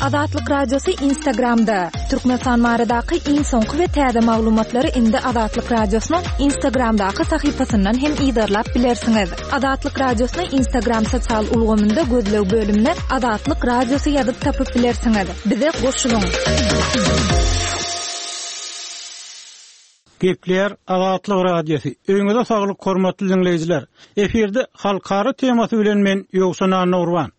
Azatlyk Radiosy Instagramda! Türkmenistan baradaky iň soňky we täze maglumatlary indi Azatlyk Radiosynyň Instagramdaky sahypasyndan hem yzarlap bilersiňiz. Azatlyk Radiosyny Instagram sosial ulgamynda gözleg bölümine Azatlyk Radiosy ýazyp tapyp bilersiňiz. Bize goşulyň! Gepleýär Azatlyk Radiosy. Öýüňize saglyk hormatly diňleýjiler. Efirde halkara temasy bilen men Ýowşan Annagurban.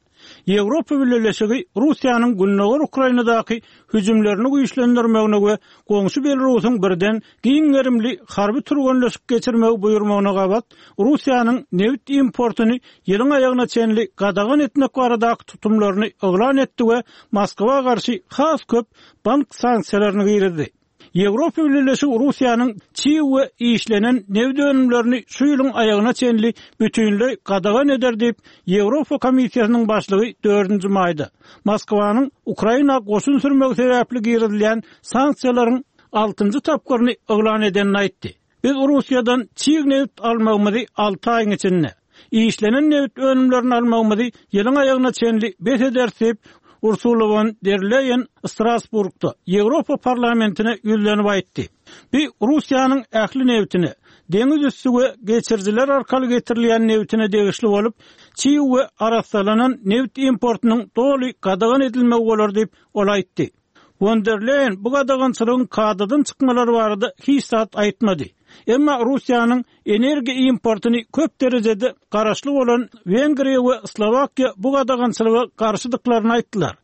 Ýewropa Bileleşigi Russiýanyň gündogar Ukrainadaky hüjümlerini güýçlendirmegine we goňşy Belarusyň birden giň gerimli harby türgenleşik geçirmegi buýurmagyna gabat Russiýanyň nebit importyny ýylyň aýagyna çenli gadagan etmek baradaky tutumlaryny yglan etdi we Moskwa garşy has köp bank sanksiýalaryny girizdi. Ýewropa Bileleşigi Russiýanyň çig we işlenen nebit önümlerini şu ýylyň aýagyna çenli bütinleý gadagan eder diýip, Ýewropa Komissiýasynyň başlygy dördünji maýda, Moskwanyň Ukraina goşun sürmegi sebäpli girizilýän sanksiýalaryň altynjy tapgyryny yglan edenini aýtdy. Biz Russiýadan çig nebit almagymyzy alty aýyň içinde, işlenen nebit önümlerini almagymyzy ýylyň aýagyna çenli bes ederis diýip, Ursula won der Leýen Strasburgda Ýewropa Parlamentine ýüzlenip aýtdy. Bu Russiýanyň ähli nebitine, deňiz üsti we geçirijiler arkaly getirilýän nebitine degişli bolup, çig we arassalanan nebit importynyň doly gadagan edilmegi bolar diýip, ol aýtdy. Won der Leýen bu gadagançylygyň kadadan çykmalary barada hiç zat aýtmady. Emma Russiýanyň energiýa importyny köp derejede garaşly bolan Wengriýa we Slowakiýa bu gadagançylyga garşydyklaryny aýtdylar.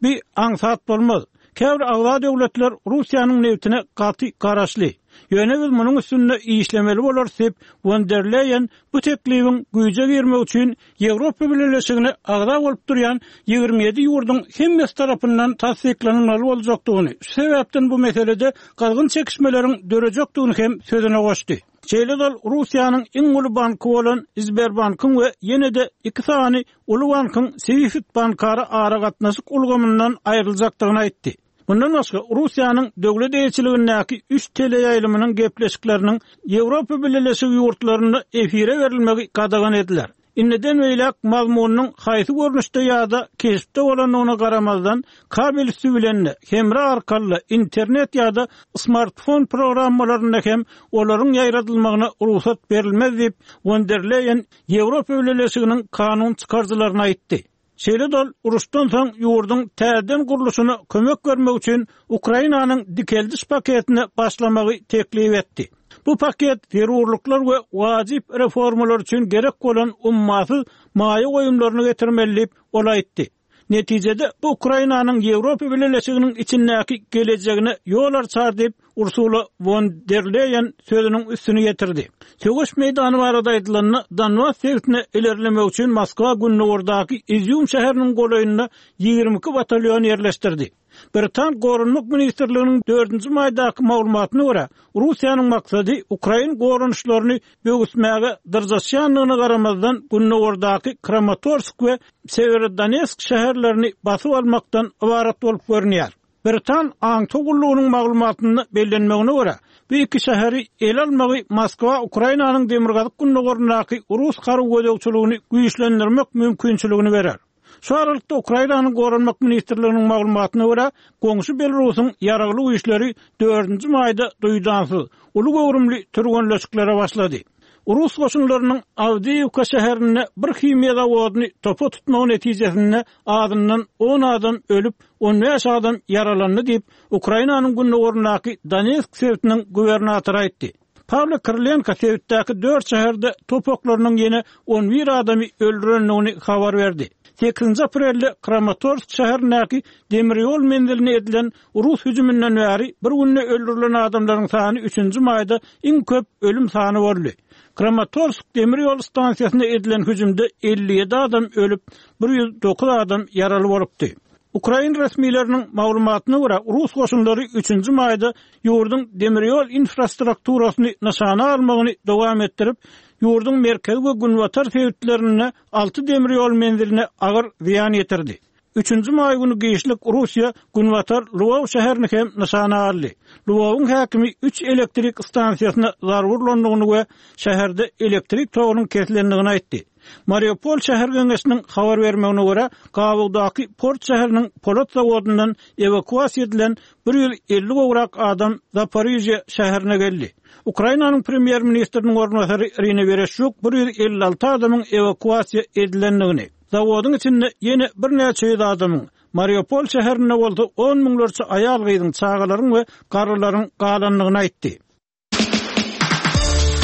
Bu aňsat bolmaz. Käbir agza döwletler Russiýanyň nebitine gaty garaşly. Ýöne biz munuň üstünde işlemeli bolarys diýip, Won der Leýen bu teklibiň güýje girmegi üçin Ýewropa Bileleşigine agza bolup durýan 27 ýurduň hemmesi tarapyndan tassyklanylmaly boljakdygyny, şu sebäpden bu meselede gyzgyn çekişmeleriň dörejekdigini hem sözüne goşdy. Şeýle-de ol Russiýanyň iň uly banky bolan Sberbankyň we ýene-de iki sany uly bankyň SWIFT bankara aragatnaşyk ulgamyndan aýryljakdygyny aýtdy. Mundan başga, Russiýanyň döwlet eýeçiligindäki üç teleýaýlymynyň gepleşikleriniň Ýewropa Bileleşigi ýurtlarynda efire berilmegi gadagan ediler. Indiden beýläk mazmunynyň haýsy görnüşde ýa-da keşpde bolandygyna garamazdan, kabel üsti bilen-de, hemra arkaly-da, internet ýa-da smartfon programmalarynda hem olaryň ýaýradylmagyna rugsat berilmez diýip, Won der Leýen Ýewropa Bileleşiginiň kanun çykaryjylaryna aýtdy. Şeýle-de ol uruşdan soň ýurduň täzeden gurluşyna kömek bermek üçin Ukrainanyň dikeldiş paketine başlamagy teklip etdi. Bu paket zerurlyklar we wajyp reformalar üçin gerek bolan ummasyz maýa goýumlaryny getirmeli diýip, ol aýtdy. Netijede, bu Ukrainanyň Ýewropa Bileleşiginiň içindäki gelejegine ýol arçar diýip, Ursula won der Leýen sözüniň üstüni ýetirdi. Söweş meýdany barada aýdylanda, Donbas sebitine ilerlemek üçin Moskwa gündogardaky Izýum şäheriniň golaýynda 22 batalýon ýerleşdirdi. Britan Goranmak ministrliginiň dördünji maýdaky maglumatyna görä, Russiýanyň maksady ukrain goranyşlaryny böwüsmäge dyrjaşýandygyna garamazdan, gündogardaky Kramatorsk we Sewerodonetsk şäherlerini basyp almakdan ybarat bolup görünýär. Britan aňtaw gullugynyň maglumatynda bellenmegine görä, bu iki şäheri ele almagy Moskwa Ukrainanyň demirgazyk-gündogaryndaky rus harby gözegçiligini güýçlendirmek mümkinçiligini berer. Şu aralykda, Ukrainanyň Goranmak ministrliginiň maglumatyna görä, goňşy Belarusyň ýaragly güýçleri dördünji maýda duýdansyz, uly göwrümli türgenleşiklere başlady. Rus goşunlarynyň Awdiýiwka şäherinde bir himiýa zawodyny topa tutmagy netijesinde azyndan on adam ölüp, 15 adam ýaralandy diýip, Ukrainanyň gündogaryndaky Donetsk sebitiniň gubernatory aýtdy. Pawlo Krylenko sebitdäki dört şäherde top oklarynyň ýene on bir adamy öldürendigini habar berdi. Sekizinji aprelde Kramatorsk şäherindäki demir ýol menziline edilen rus hüjüminden bäri bir günde öldürilen adamlaryň sany üçünji maýda iň köp ölüm sany boldy. Kramatorsk demir ýol stansiýasyna edilen hüjümde 57 adam ölüp, 109 adam ýaraly bolupdy. Ukrain resmileriniň maglumatyna görä, rus goşunlary üçünji maýda ýurduň demir ýol infrastrukturasyny nyşana almagyny dowam etdirip, ýurduň merkezi we günbatar sebitlerinde alty demir ýol menziline agyr zyýan ýetirdi. Üçünji maý güni giçlik Russiýa günbatar Lwow şäherini hem nyşana aldy. Lwowyň häkimi üç elektrik stansiýasyna zarba urlandygyny we şäherde elektrik togunyň kesilendigini aýtdy. Mariupol şäher geňeşiniň habar bermegine görä, gabawdaky port şäheriniň polat zawodyndan ewakuasiýa edilen 150 gowrak adam Zaporižýa şäherine geldi. Ukrainanyň premýer-ministriniň orunbasary Irina Wereşçuk 156 adamyň ewakuasiýa edilendigini, zawodyň içinde ýene birnäçe ýüz adamyň, Mariupol şäherinde bolsa on müňlerçe aýal-gyzyň, çagalaryň we garrylaryň galandygyny aýtdy.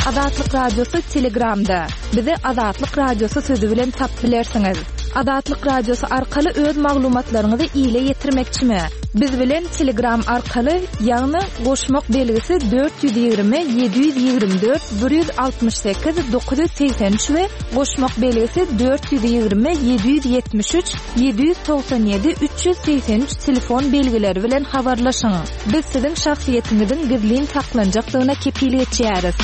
Azatlyk Radiosy Telegramda. Bizi Azatlyk Radiosy sözi bilen tapyp bilersiňiz. Azatlyk Radiosy arkaly öz maglumatlaryňyzy ile ýetirmekçimi? Biz bilen Telegram arkaly, ýagny goşmak belgisi 420 724 168 983 we goşmak belgisi 420 773 797 383 telefon belgileri bilen habarlaşyň. Biz siziň şahsyýetiňiziň gizlin saklanjakdygyna kepil geçýäris.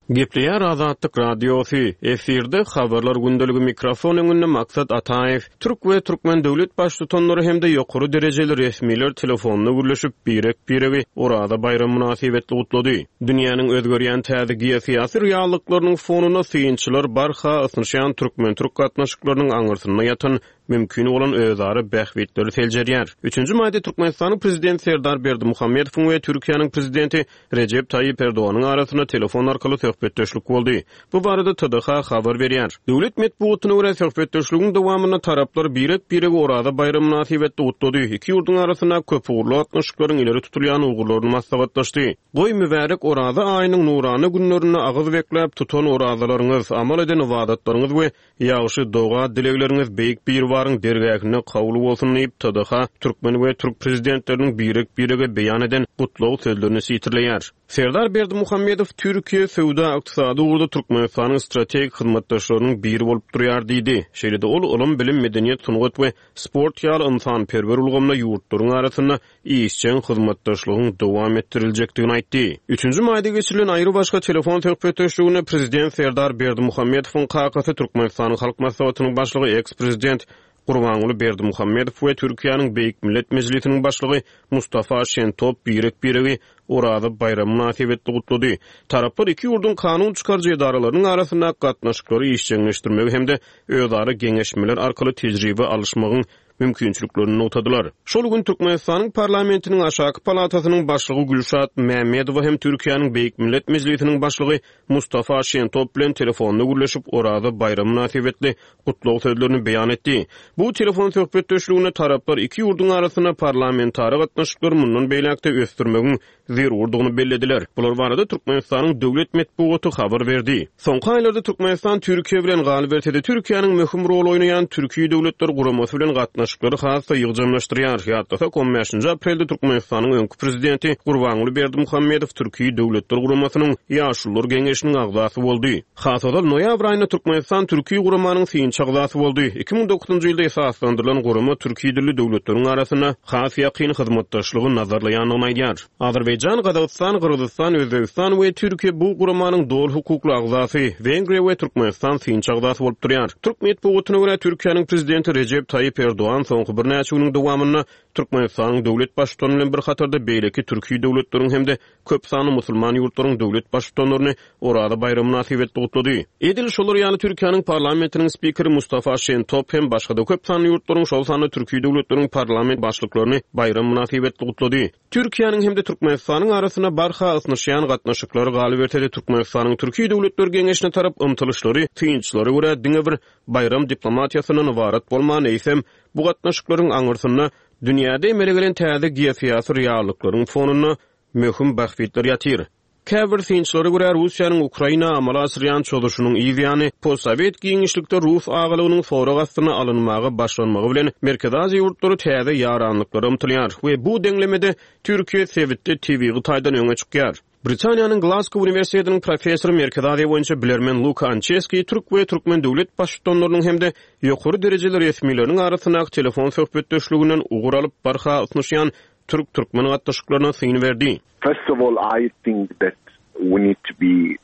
Gepleýär Azatlyk Radiosy, Efirde Habarlar gündeligi mikrofon öňünde Maksat Ataýew. Türk we türkmen döwlet baştutanlary hem-de ýokary derejeli resmiler telefonda gürleşip, birek-biregi Oraza baýramy mynasybetli gutlady. Dünýäniň özgerýän täze geosyýasy reallyklarynyň fonunda synçylar barha ysnyşýan türkmen-türk gatnaşyklarynyň aňyrsynda ýatan mümkin bolan özara bähbitleri seljerýär. Üçünji maýda Türkmenistanyň Prezidenti Serdar Berdimuhamedowyň we Türkiýäniň Prezidenti Rejep Taýyp Erdoganyň arasynda telefon arkaly söhbetdeşlik boldy. Bu barada TDH habar berýär. Döwlet metbugatyna görä, söhbetdeşligiň dowamynda taraplar birek-biregi Oraza baýramy mynasybetli gutlady, iki ýurduň arasyndaky köpugurly gatnaşyklaryň ileri tutulýan ugurlaryny maslahatlaşdy. Goý, mübärek Oraza aýynyň nurana günlerinde agyz bekläp tutan orazalaryňyz, amal eden ybadatlaryňyz we Ýagşy doga-dilegleriňiz Beýik Biribaryň dergähinde kabul bolsun diýip, TDH türkmen we türk prezidentleriniň birek-birege beýan eden gutlag sözlerini sitirleýär. Serdar Berdimuhamedow Türkiýe söwda-ykdysady ugurda Türkmenistanyň strategik hyzmatdaşlarynyň biri bolup durýar diýdi. Şeýle-de ol ylym, bilim, medeniýet, sungat we sport ýaly ynsanperwer ulgamda ýurtlaryň arasynda işjeň hyzmatdaşlygyň dowam etdiriljekdigini aýtdy. Üçünji maýda geçirilen aýrybaşga telefon söhbetdeşliginde prezident Serdar Berdimuhamedowyň kakasy, Türkmenistanyň Halk Maslahatynyň Başlygy, eks-prezident Gurbanguly Berdimuhamedow we Türkiýäniň Beýik Millet Mejlisiniň Başlygy Mustafa Şentop birek-biregi Oraza baýramy mynasybetli gutlady. Taraplar iki ýurduň kanun çykaryjy edaralarynyň arasyndaky gatnaşyklary işjeňleşdirmegi hem-de özara geňeşmeler arkaly tejribe alyşmagyň mümkinçiliklerini nygtadylar. Şol gün Türkmenistanyň Parlamentiniň aşaky palatasynyň başlygy Gülşat Mämmedowa hem Türkiýäniň Beýik Millet Mejlisiniň başlygy Mustafa Şentop bilen telefonda gürleşip, Oraza baýramy mynasybetli gutlag sözlerini beýan etdi. Bu telefon söhbetdeşliginde taraplar iki ýurduň arasynda parlamentara gatnaşyklary mundan beýläk-de ösdürmegiň zerurdygyny bellediler. Bular barada Türkmenistanyň döwlet metbugaty habar berdi. Soňky aýlarda Türkmenistan Türkiýe bilen, galyberse-de, Türkiýäniň möhüm rol oýnaýan Türki Döwletler Guramasy bilen gatnaşyklary has-da ýygjamlaşdyrýar. Ýatlasak, on bäşinji aprelde Türkmenistanyň öňki prezidenti Gurbanguly Berdimuhamedow Türki Döwletler Guramasynyň Ýaşulular geňeşiniň agzasy boldy. Has ozal, noýabr aýynda Türkmenistan Türki guramanyň synçy agzasy boldy. 2009-njy ýylda esaslandyrylan gurama türki dilli döwletleriň arasynda has ýakyn hyzmatdaşlygy nazarlaýandygyny aýdýar. Azerbaýjan, Gazagystan, Gyrgyzystan, Özbegistan we Türkiýe bu guramanyň doly hukukly agzasy, Wengriýa we Türkmenistan synçy agzasy bolup durýar. Türk metbugatyna görä, Türkiýäniň Prezidenti Rejep Taýyp Erdogan soňky birnäçe günüň dowamynda Türkmenistanyň döwlet Baştutany bilen bir hatarda beýleki türki döwletleriň hem-de köp sanly musulman ýurtlaryň döwlet Baştutanlaryny Oraza baýramy mynasybetli gutlady. Edil şolar ýaly Türkiýäniň parlamentiniň spikeri Mustafa Şentop hem başga-da köp sanly ýurtlaryň, şol sanda türki döwletleriň parlament başlyklaryny baýram mynasybetli gutlady. Türkiýäniň hem-de Türkmenistanyň arasynda barha ysnyşýan gatnaşyklar, galyberse-de Türkmenistanyň Türki döwletler geňeşine tarap ymtylyşlary synçylara görä diňe bir baýram diplomatiýasyndan ybarat bolman, eýsem, bu gatnaşyklaryň aňyrsynda dünýäde emele gelen täze geosyýasy reallyklaryň fonunda möhüm bähbitler ýatyr. Käbir synçylara görä, Russiýanyň Ukraina amala aşyrýan çozuşynyň yz ýany, postsowet giňişlikde rus agalygynyň sorag astyna alynmaga başlanmagy bilen Merkezi Aziýa ýurtlary täze ýaranlyklara ymtylýar we bu deňlemede Türkiýe sebitde tebigy taýdan öňe çykýar. Britaniýanyň Glazgo uniwersitetiniň professory, Merkezi Aziýa boýunça bilermen Luka Ançeskiý türk we türkmen döwlet baştutanlarynyň hem-de ýokary derejeli resmileriniň arasyndaky telefon söhbetdeşliginden ugur alyp, barha ysnyşýan türk-türkmen gatnaşyklaryna syn berdi. First of all I think that we need to be.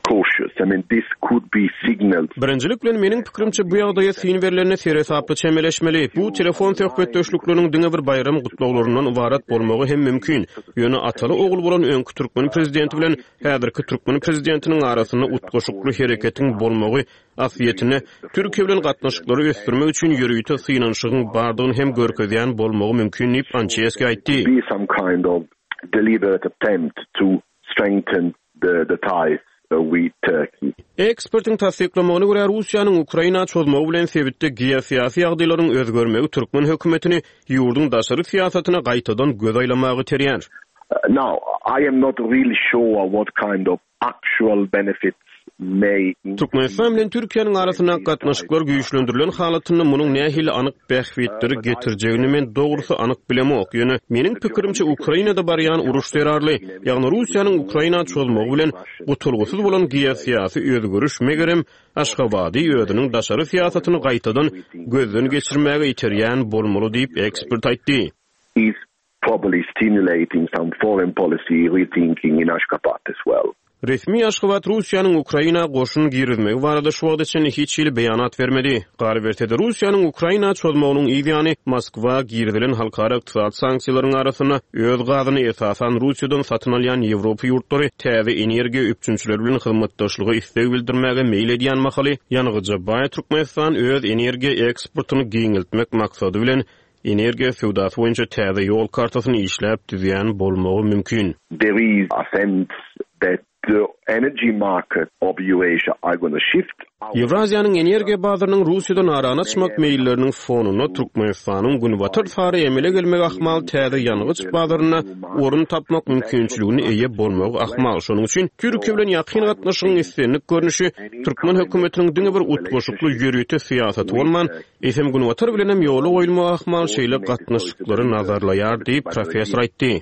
cautious. I mean, this could be signals. Birinjilik bilen, meniň pikirimçe, bu ýagdaýa syn berlende seresaply çemeleşmeli. Bu telefon söhbetdeşlikleriniň diňe bir baýram gutlaglaryndan ybarat bolmagy hem mümkin. Ýöne ataly-ogul bolan öňki türkmen prezidenti bilen häzirki türkmen prezidentiniň arasynda utgaşykly hereketiň bolmagy aslyýetinde Türkiýe bilen gatnaşyklary ösdürmek üçin ýörite synanyşygyň bardygyny hem görkezýän bolmagy mümkin diýip, Ançeski aýtdy. Strengthen the ties with Turkey. Ekspertiň tassyklamagyna görä, Russiýanyň Ukraina çozmagy bilen sebitde geosyýasy ýagdaýlaryň özgermegi türkmen hökümetini ýurduň daşary syýasatyna gaýtadan göz aýlamaga iterýär. Now, I am not really sure what kind of actual benefits may. Türkmenistan bilen Türkiýäniň arasyndaky gatnaşyklar güýçlendirilen halatynda munuň nähili anyk bähbitleri getirjegini men dogrusy anyk bilemok, ýöne meniň pikirimçe Ukrainada barýan uruş zerarly, ýagny Russiýanyň Ukraina çozmagy bilen gutulgysyz bolan geosyýasy özgeriş megerem Aşgabady özüniň daşary syýasatyny gaýtadan gözden geçirmäge iterýän bolmaly diýip, ekspert aýtdy. Probably stimulating some foreign policy rethinking in Ashgabat as well. Resmi Aşgabat Russiýanyň Ukraina goşun girizmegi barada şu wagta çenli hiç hili beýanat bermedi. Galyberse-de, Russiýanyň Ukraina çozmagynyň yz ýany Moskwa girizilen halkara ykdysady sanksiýalaryň arasynda öz gazyny esasan Russiýadan satyn alýan Ýewropa ýurtlary täze energiýa üpjünçileri bilen hyzmatdaşlyga isleg bildirmäge meýil edýän mahaly ýangyja baý Türkmenistan öz energiýa eksportyny giňeltmek maksady bilen energiýa söwdasy boýunça täze ýol kartasyny işläp düzýän bolmagy mümkin. There is a sense that the energy market of Eurasia are gonna shift. Ýewraziýanyň energiýa bazarynyň Russiýadan arany açmak meýilleriniň fonunda Türkmenistanyň Günbatar sary emele gelmegi ahmal täze ýangyç bazarynda orun tapmak mümkinçiligine eýe bolmagy ahmal. Şonuň üçin Türkiýe bilen ýakyn gatnaşygyň islendik görnüşi türkmen hökümetiniň diňe bir utgaşykly ýörite syýasaty bolman, Eýsem, Günbatar bilenem ýola goýulmagy ahmal şeýle gatnaşyklary nazarlaýar diýip, professor aýtdy.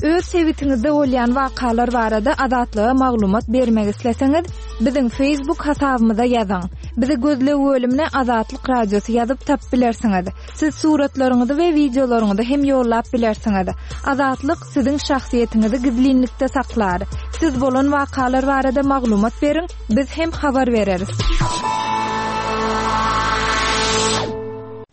Öz sebitiňizde bolýan wakalar barada Azatlyga maglumat bermek isleseňiz, biziň Facebook hasabymyza ýazyň. Bizi gözleg bölümine Azatlyk Radiosy ýazyp tapyp bilersiňiz. Siz suratlaryňyzy we wideolaryňyzy hem ýollap bilersiňiz. Azatlyk siziň şahsyýetiňizi gizlinlikde saklar. Siz bolan wakalar barada maglumat beriň, biz hem habar bereris.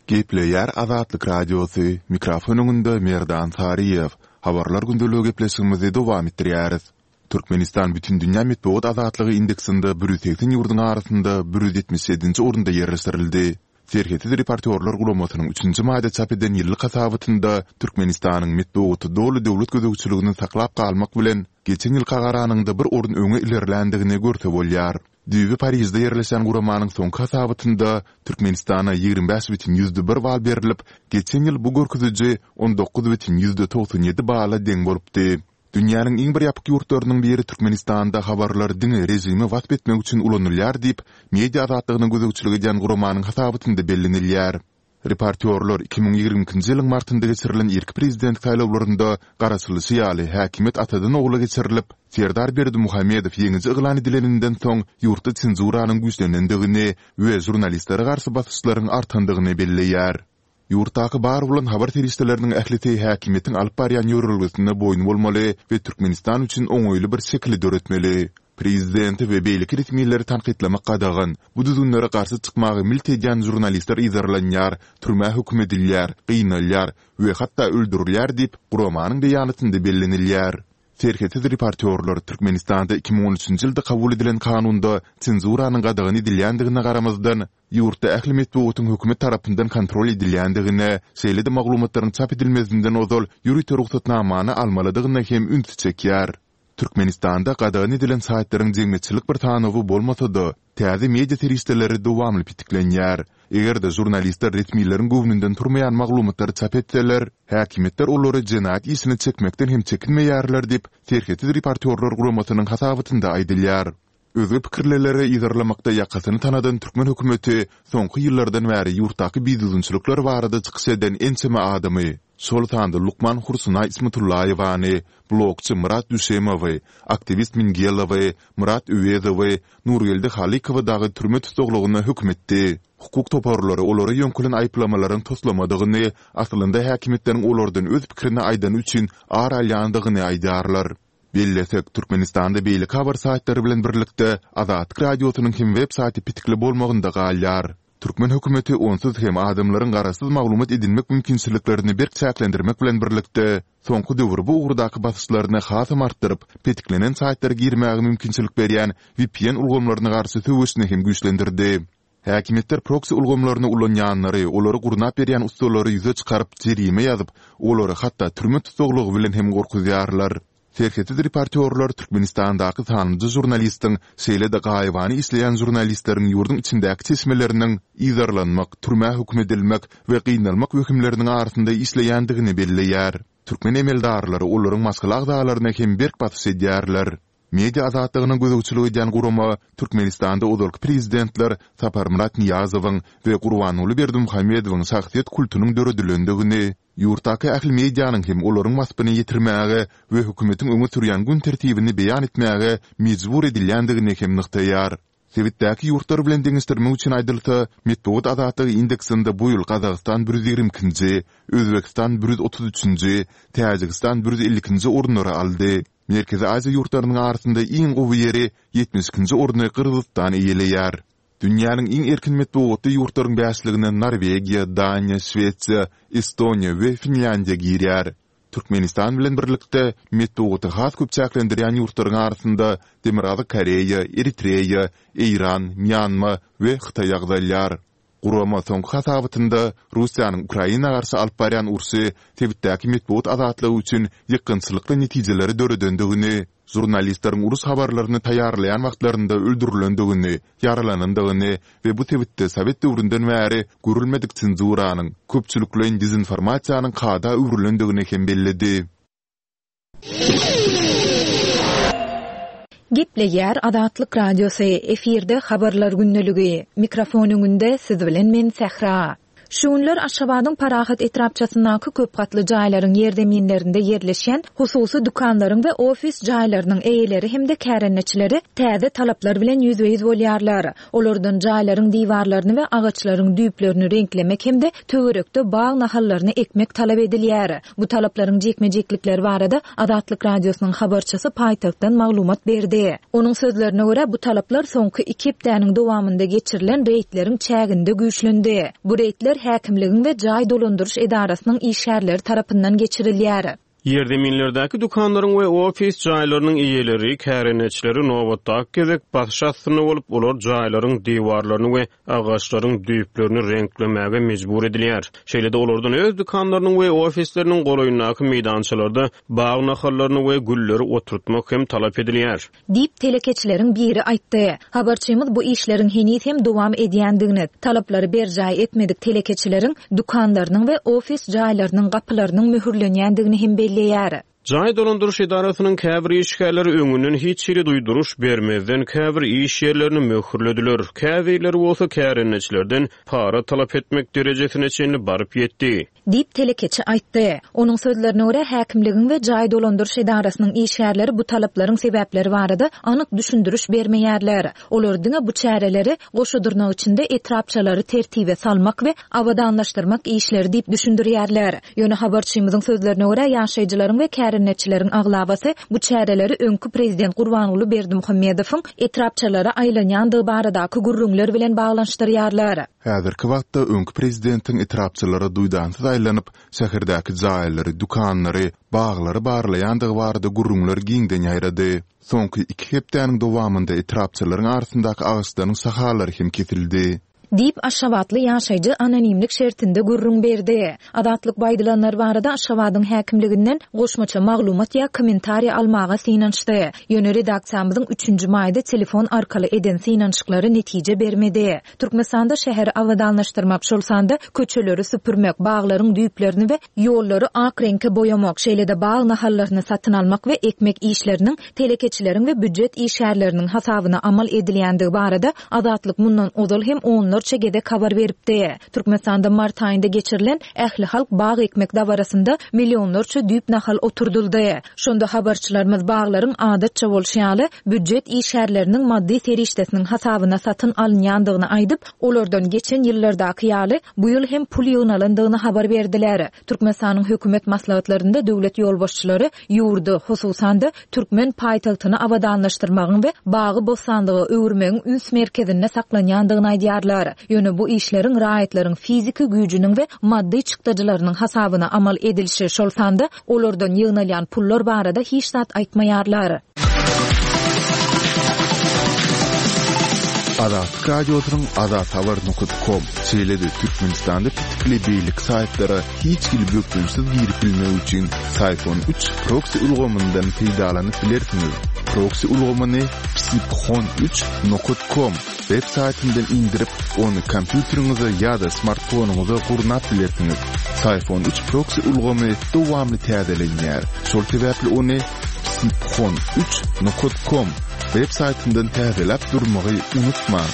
Gepleýär Azatlyk Radiosy, mikrofon öňünde Merdan Saryýew. Habarlar gündeligi gepleşigimizi dowam etdirýäris. Türkmenistan Bütindünýä metbugat azatlygy indeksinde 180 ýurduň arasynda 177-nji orunda ýerleşdirildi. Serhetsiz reportýorlar guramasynyň üçünji maýda çap eden ýyllyk hasabatynda Türkmenistanyň metbugaty doly döwlet gözegçiligini saklap galmak bilen, geçen ýylka garanyňda bir orun öňe ilerländigini görse bolýar. Düýbi Parižde ýerleşýän guramanyň soňky hasabatynda Türkmenistana 25,1 bal berlip, geçen ýyl bu görkeziji 19,97 bala deň bolupdy. Dünýäniň iň bir ýapyk ýurtlarynyň biri Türkmenistanda habarlar diňe režimi wasp etmek üçin ulanylýar diýip, media azatlygyna gözegçilik edýän guramanyň hasabatynda bellenilýär. Reportýorlar 2022-nji ýylyň martynda geçirilen irki prezident saýlawlarynda garaşylyşy ýaly häkimiýet atadan-ogla geçirilip, Serdar Berdimuhamedow ýeňiji yglan edileninden soň ýurtda senzuranyň güýçlenendigini we žurnalistlere garşy basyşlaryň artandygyny belleýär. Ýurtdaky bar bolan habar serişdeleriniň ählisi häkimiýetiň alyp barýan ýörelgesine boýun bolmaly we Türkmenistan üçin oňaýly bir şekili döretmeli. Prezidenti we beýleki resmileri tankytlamak gadagan. Bu düzgünlere garşy çykmaga milt edýän žurnalistler yzarlanýar, türmä höküm edilýär, gynalýar we hatda öldürilýär diýip, guramanyň beýanatynda bellenilýär. Serhetsiz reportýorlar Türkmenistanda 2013-nji ýylda kabul edilen kanunda senzuranyň gadagan edilýändigine garamazdan, Ýurtda ähli metbugatyň hökümet tarapyndan kontrol edilýändigine, şeýle-de maglumatlaryň çap edilmezinden ozal ýörite rugsatnamany almalydygyna hem ünsi çekýär. Türkmenistanda gadagan edilen saýtlaryň jemgyýetçilik bir sanawy bolmasa-da, täze media serişdeleri dowamly petiklenýär. Eger-de žurnalistler resmileriň göwnünden turmaýan maglumatlary çap etseler, häkimiýetler olary jenaýat işine çekmekden hem çekinmeýärler diýip, Serhetsiz reportýorlar guramasynyň hasabatynda aýdylýar. Özge pikirlileri yzarlamakda ýakasyny tanadan türkmen hökümeti soňky ýyllardan bäri ýurtdaky bidüzgünçilikler barada çykyş eden ençeme adamy. şol sanda lukman Hursunaý Ismatullaýewany, blogçy Myrat Düşemowy, aktiwist Mingelowy, Myrat Öwezowy, Nurgeldi Halykowy dagy türme tussaglygyna höküm etdi. Hukuk toparlary olara ýöňkelen aýyplamalaryň toslamadygyny, aslynda häkimiýetleriň olardan öz pikirini aýdany üçin ar alýandygyny aýdýarlar. Bellesek, Türkmenistanda beýleki habar saýtlary bilen birlikde Azatlyk Radiosynyň hem web saýty petikli bolmagynda galýar. Türkmen hökümeti onsuz hem adamlaryň garaşsyz maglumat edinmek mümkinçiliklerini berk çäklendirmek bilen birlikde, soňky döwür bu ugurdaky basyşlaryny hasam artdyryp, petiklenen saýtlara girmäge mümkinçilik berýän vpn ulgamlaryna garşy söweşini hem güýçlendirdi. Häkimiýetler proksi ulgamlaryny ulanýanlary, olary gurnap berýän ussalary ýüze çykaryp, jerime ýazyp, olary hatda türme tussaglygy bilen hem gorkuzýarlar. Serhetsiz reportýorlar Türkmenistandaky sanlyja žurnalistiň, şeýle-de gaýybana işleýän žurnalistleriň ýurduň içindäki çeşmeleriniň yzarlanmak, türmä höküm edilmek we gynalmak wehimleriniň arasynda işleýändigini belleýär. Türkmen emeldarlary olaryň maşgala agzalaryna hem berk basyş edýärler. Media azatlygyna gözegçilik edýän gurama Türkmenistanda ozalky prezidentler Saparmyrat Nyýazowyň we Gurbanguly Berdimuhamedowyň şahsyýet kultunyň döredilendigini, ýurtdaky ähli medianyň hem olaryň waspyny ýetirmäge we hökümetiň öňe sürýän gün tertibini beýan etmäge mejbur edilýändigini hem nygtaýar. Sebitdäki ýurtlar bilen deňeşdirmek üçin aýdylsa, metbugat azatlygy indeksinde bu ýyl Gazagystan 122-nji, Özbegistan 133-nji, Täjigistan 152-nji orunlary aldy. Merkezi Aziýa ýurtlarynyň arasynda iň gowy ýeri, 72-nji orny Gyrgyzystan eýeleýär. Dünýäniň iň erkin metbugatly ýurtlaryň bäşligine Norwegiýa, Daniýa, Şwesiýa, Estoniýa we Finlýandiýa girýär. Türkmenistan bilen birlikde, metbugaty has köp çäklendirýän ýurtlaryň arasynda Demirgazyk Koreýa, Eritreýa, Eýran, Mýanma we Hytaý agzalýar. Gurama soňky hasabatynda Russiýanyň Ukraina garşy alyp barýan urşy sebitdäki metbugat azatlygy üçin ýykgynçylykly netijeleri döredendigini, žurnalistleriň uruş habarlaryny taýýarlaýan wagtlarynda öldürilendigini, ýaralanandygyny we bu sebitde sowet döwründen bäri görülmedik senzuranyň, köpçülikleýin dezinformasiýanyň kada öwrülendigini hem belledi. Gepleýär Azatlyk Radiosy, efirde Habarlar gündeligi. Mikrofon öňünde siz bilen men Sähra. Şu günler Aşgabadyň Parahat etrapçasyndaky köp gatly jaýlaryň ýerzeminlerinde ýerleşýän hususy dükanlaryň we ofis jaýlarynyň eýeleri hem-de kärendeçileri täze talaplar bilen ýüzbe-ýüz bolýarlar. Olardan jaýlaryň diwarlaryny we agaçlaryň düýplerini reňklemek hem-de töwerekde bag nahallaryny ekmek talap edilýär. Bu talaplaryň jikme-jiklikleri barada Azatlyk Radiosynyň habarçysy paýtagtdan maglumat berdi. Onuň sözlerine görä, bu talaplar soňky iki hepdäniň dowamynda geçirilen reýdleriň çäginde güýçlendi. Bu reýdler häkimligiň we jaý dolandyryş edarasynyň işgärleri tarapyndan geçirilýär. Ýerzeminlerdäki dükanlaryň we ofis jaýlarynyň eýeleri, kärendeçileri nobatdaky gezek basyş astynda bolup, olar jaýlaryň diwarlaryny we agaçlaryň düýplerini reňklemäge mejbur edilýär. Şeýle-de olardan öz dükanlarynyň we ofisleriniň golaýyndaky meýdançalarda bag nahallaryny we gülleri oturtmak hem talap edilýär. Diýip, telekeçileriň biri aýtdy. Habarçymyz bu işleriň heniz hem dowam edýändigini, talaplary berjaý etmedik telekeçileriň dükanlarynyň we ofis jaýlarynyň gapylarynyň möhürlenýändigini hem belleýär. Jaý dolandyryş edarasynyň käbir işgärleri öňünden hiç hili duýduryş bermezden käbir iş ýerlerini möhürlediler, käbirleri bolsa kärendeçilerden para talap etmek derejesine çenli baryp ýetdi. Diýip, telekeçi aýtdy. Onuň sözlerine görä, häkimligiň we jaý dolandyryş edarasynyň işgärleri bu talaplaryň sebäpleri barada anyk düşündiriş bermeýärler. Olar diňe bu çäreleri, goşa dyrnak içinde, etrapçalary tertibe salmak we abadanlaşdyrmak işleri diýip düşündirýärler. Ýöne habarçymyzyň sözlerine görä, ýaşaýjylaryň we kärendeçileriň aglabasy bu çäreleri öňki prezident Gurbanguly Berdimuhamedowyň etrapçalara aýlanýandygy baradaky gürrüňler bilen baglanyşdyrýarlar. Häzirki wagtda öňki prezidentiň etrapçalara duýdansyz aýlanyp, şäherdäki jaýlary, dükanlary, baglary barlaýandygy barada gürrüňler giňden ýaýrady. Soňky iki hepdäniň dowamynda etrapçalaryň arasyndaky agaçlaryň şahalary hem kesildi. Diýip, aşgabatly ýaşaýjy anonimlik şertinde gürrüň berdi. Azatlyk bu aýdylanlar barada Aşgabadyň häkimliginden goşmaça maglumat ýa kommentariý almaga synanyşdy. Ýöne redaksiýamyzyň üçünji maýda telefon arkaly eden synanyşyklary netije bermedi. Türkmenistanda şäheri abadanlaşdyrmak, şol sanda köçeleri süpürmek, baglaryň düýplerini we ýollary ak reňke boýamak, şeýle-de bag nahallaryny satyn almak we ekmek işleriniň telekeçileriň we býujet işgärleriniň hasabyna amal edilýändigi barada Azatlyk mundan ozal hem onlarça. onlarça gezek habar beripdi. Türkmenistanda mart aýynda geçirilen ählihalk bag ekmek dabarasynda millionlarça düýp nahal oturdyldy. Şonda habarçylarymyz baglaryň adatça bolşy ýaly, býujet işgärleriniň maddy serişdesiniň hasabyna satyn alynýandygyny aýdyp, olardan geçen ýyllardaky ýaly, bu ýyl hem pul ýygnalandygyny habar berdiler. Türkmenistanyň hökümet maslahatlarynda döwlet ýolbaşçylary ýurdy, hususan-da, türkmen paýtagtyny abadanlaşdyrmagyň we bagy-bossanlyga öwürmegiň üns merkezinde saklanýandygyny aýdýarlar. Ýöne bu işleriň raýatlaryň fiziki güýjüniň we maddy çykdajylarynyň hasabyna amal edilişi, şol sanda olardan ýygnalýan pullar barada hiç zat aýtmaýarlar. Azatlyk Radiosynyň Azathabar nokat kom, şeýle-de Türkmenistanda petikli beýleki saýtlara hiç hili bökdençsiz girip bilmek üçin Syfon üç proksi ulgamyndan peýdalanyp bilersiňiz. Proksi ulgamyny psiphon üç nokat kom web saýtyndan indirip, ony kompýuteriňize ýa-da smartfonyňyza gurnap bilersiňiz. Syfon üç proksi ulgamy dowamly täzelenýär, şol sebäpli ony psiphon üç nokat kom web saýtyndan täzeläp durmagy unutmaň.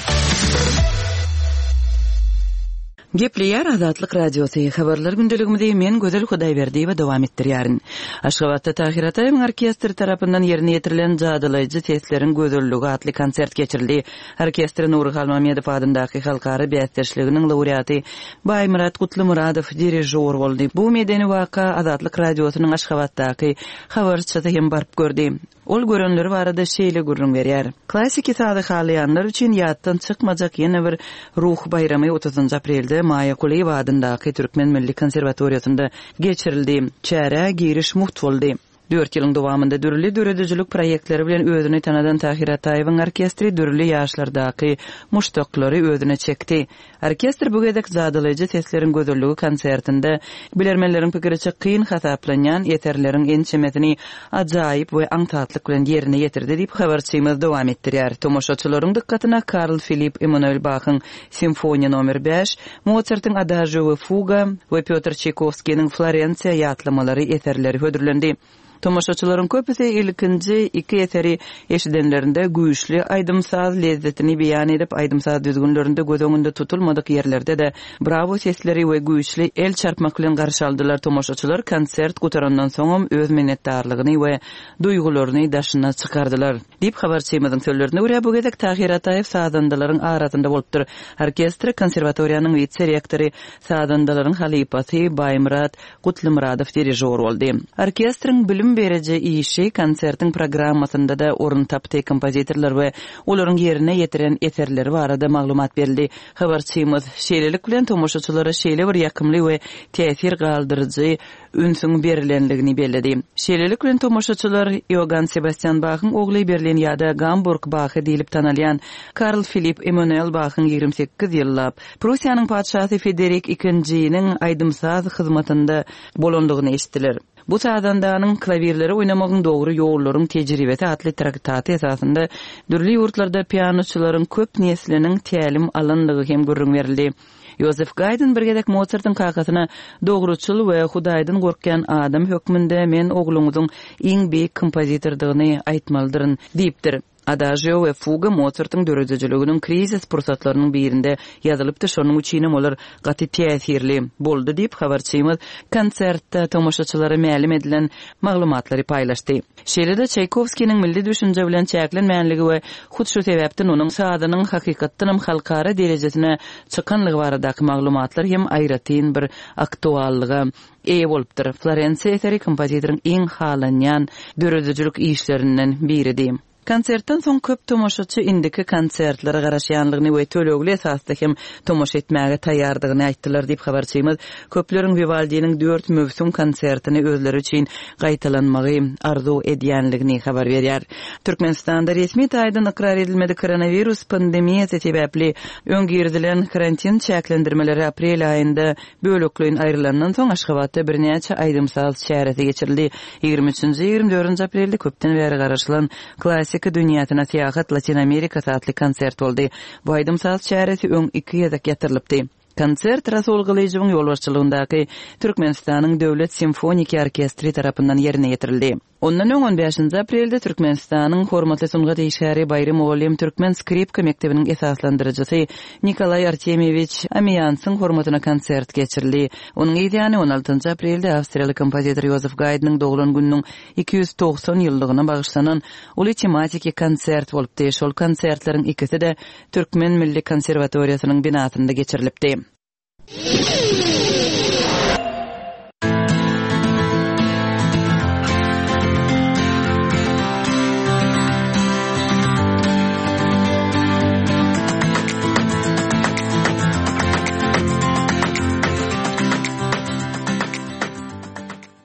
Gepleýär Azatlyk Radiosy, Habarlar gündeligimizi men Gözel Hudaýberdiýewa dowam etdirýärin. Aşgabatda Tahyr Ataýewiň orkestri tarapyndan ýerine ýetirilen Jadylaýjy sesleriň gözelligi atly konsert geçirildi. Orkestre Nury Halmamedow adyndaky halkara bäsdeşliginiň laureaty Baýmyrat Gutlymyradow dirižýor boldy. Bu medeni waka Azatlyk Radiosynyň Aşgabatdaky habarçysy hem baryp gördi. Ol görenleri barada şeýle gürrüň berýär, Klassiki sazy halaýanlar üçin ýatdan çykmajak ýene bir ruh baýramy otuzynjy aprelde Maýa Kulyýewa adyndaky Türkmen milli konserwatoriýasynda geçirildi. Çärä giriş mugt boldy. Dört ýylyň dowamynda dürli döredijilik proýektleri bilen özüni tanadan Tahyr Ataýewiň orkestri dürli ýaşlardaky muşdaklary özüne çekdi. Orkestr bu gezek Jadylaýjy sesleriň gözelligi konsertinde, bilermenleriň pikiriçe kyn hasaplanýan eserleriň ençemesini ajaýyp we aňsatlyk bilen ýerine ýetirdi diýip, habarçymyz dowam etdirýär. Tomaşaçylaryň dykgatyna Karl Filipp Emmanuel Bahyň Simfoniýa nomer bäş, Mosartyň Adažio we fuga we Pýotr Çaýkowskiniň Florensiýa ýatlamalary eserleri hödürlendi. Tomaşaçylaryň köpüsi ilkinji iki eseri eşidenlerinde güýçli aýdym-saz lezzetini beýan edip, aýdym-saz düzgünlerinde göz öňünde tutulmadyk ýerlerde-de brawo sesleri we güýçli el çarpmak bilen garşy aldylar. Tomaşaçylar konsert gutarandan soňam öz minnetdarlygyny we duýgularyny daşyna çykardylar. Diýip, habarçymyzyň sözlerine görä, bu gezek Tahyr Ataýew sazandalaryň arasynda bolupdyr. Orkestre konserwatoriýanyň wise-rektory, sazandalaryň halypasy Baýmyrat Gutlymyradow dirižor boldy. Orkestriň bilim beriji işi konsertiň programmasynda-da orun tapdy, kompozitorlar we olaryň ýerine ýetiren eserleri barada maglumat berildi. Habarçymyz, şeýlelik bilen, tomaşaçylara şeýle bir ýakymly we täsir galdyryjy ünsüň berilenligini belledi. Şeýlelik bilen, tomaşaçylar Iogann Sebastýan Bahyň ogly Berlin ýa-da Gamburg Bahy diýlip tanalýan Karl Filipp Emmanuel Bahyň 28 ýyllap Prussiýanyň patyşasy Federik II-niň aýdym-saz hyzmatynda bolandygyny eşitdiler. Bu sazandanyň Klawirleri oýnamagyň dogry ýollaryň tejribesi atly traktaty esasynda dürli ýurtlarda pianoçylaryň köp nesliniň tälim alandygy hem gürrüň berildi. Ýozef Gaýdn bir gezek Mosartyň kakasyna Dogruçyl we Hudaýdan gorkýan adam hökmünde men ogluňyzyň iň beýik kompozitordygyny aýtmalydyryn diýipdir. Adažio we fuga Mosartyň döredijiliginiň krizis pursatlarynyň birinde ýazylypdy, şonuň üçinem olar gaty täsirli boldy diýip, habarçymyz konsertde tomaşaçylara mälim edilen maglumatlary paýlaşdy. Şeýle-de Çaýkowskiniň milli düşünje bilen çäklenmänligi we hut şu sebäpden onuň sazynyň hakykatdanam halkara derejesine çykanlygy baradaky maglumatlar hem aýratyn bir aktuallyga eýe bolupdyr. Florensiýa eseri kompozitoryň iň halanýan döredijilik işlerinden biridi. Konsertden soň köp tomaşaçy indiki konsertlere garaşýanlygyny we tölegli esasda hem tomaşa etmäge taýýardygyny aýtdylar diýip, habarçymyz köpleriň Wiwaldiniň dört möwsüm konsertini özleri üçin gaýtalanmagy arzuw edýänligini habar berýär. Türkmenistanda resmi taýdan ykrar edilmedik koronawirus pandemiýasy sebäpli öň girizilen karantin çäklendirmeleri aprel aýynda Bölekleýin aýrylandan soň Aşgabatda birnäçe aýdym-saz çäresi geçirildi. Ýigrimi üçünji, ýigrimi dördünji aprelde köpden bäri garaşylan Klassika dünýäsine syýahat Latyn Amerikasy atly konsert boldy. Bu aýdym-saz çäresi öň iki gezek ýatyrylypdy. Konsert Rasul Gylyjowyň ýolbaşçylygyndaky Türkmenistanyň Döwlet simfoniki orkestri tarapyndan ýerine ýetirildi. Ondan öň on bäşinji aprelde Türkmenistanyň hormatly sungat işgäri Baýry mugallym türkmen skripka mekdebiniň esaslandyryjysy Nikolaý Artemýewiç Amiýansyň hormatyna konsert geçirildi. Onuň yz ýany on altynjy aprelde awstriýaly kompozitor Ýozef Gaýdnyň doglan gününiň 290 ýyllygyna bagyşlanan uly tematiki konsert bolupdy. Şol konsertleriň ikisi-de Türkmen milli konserwatoriýasynyň binasynda geçirilipdi.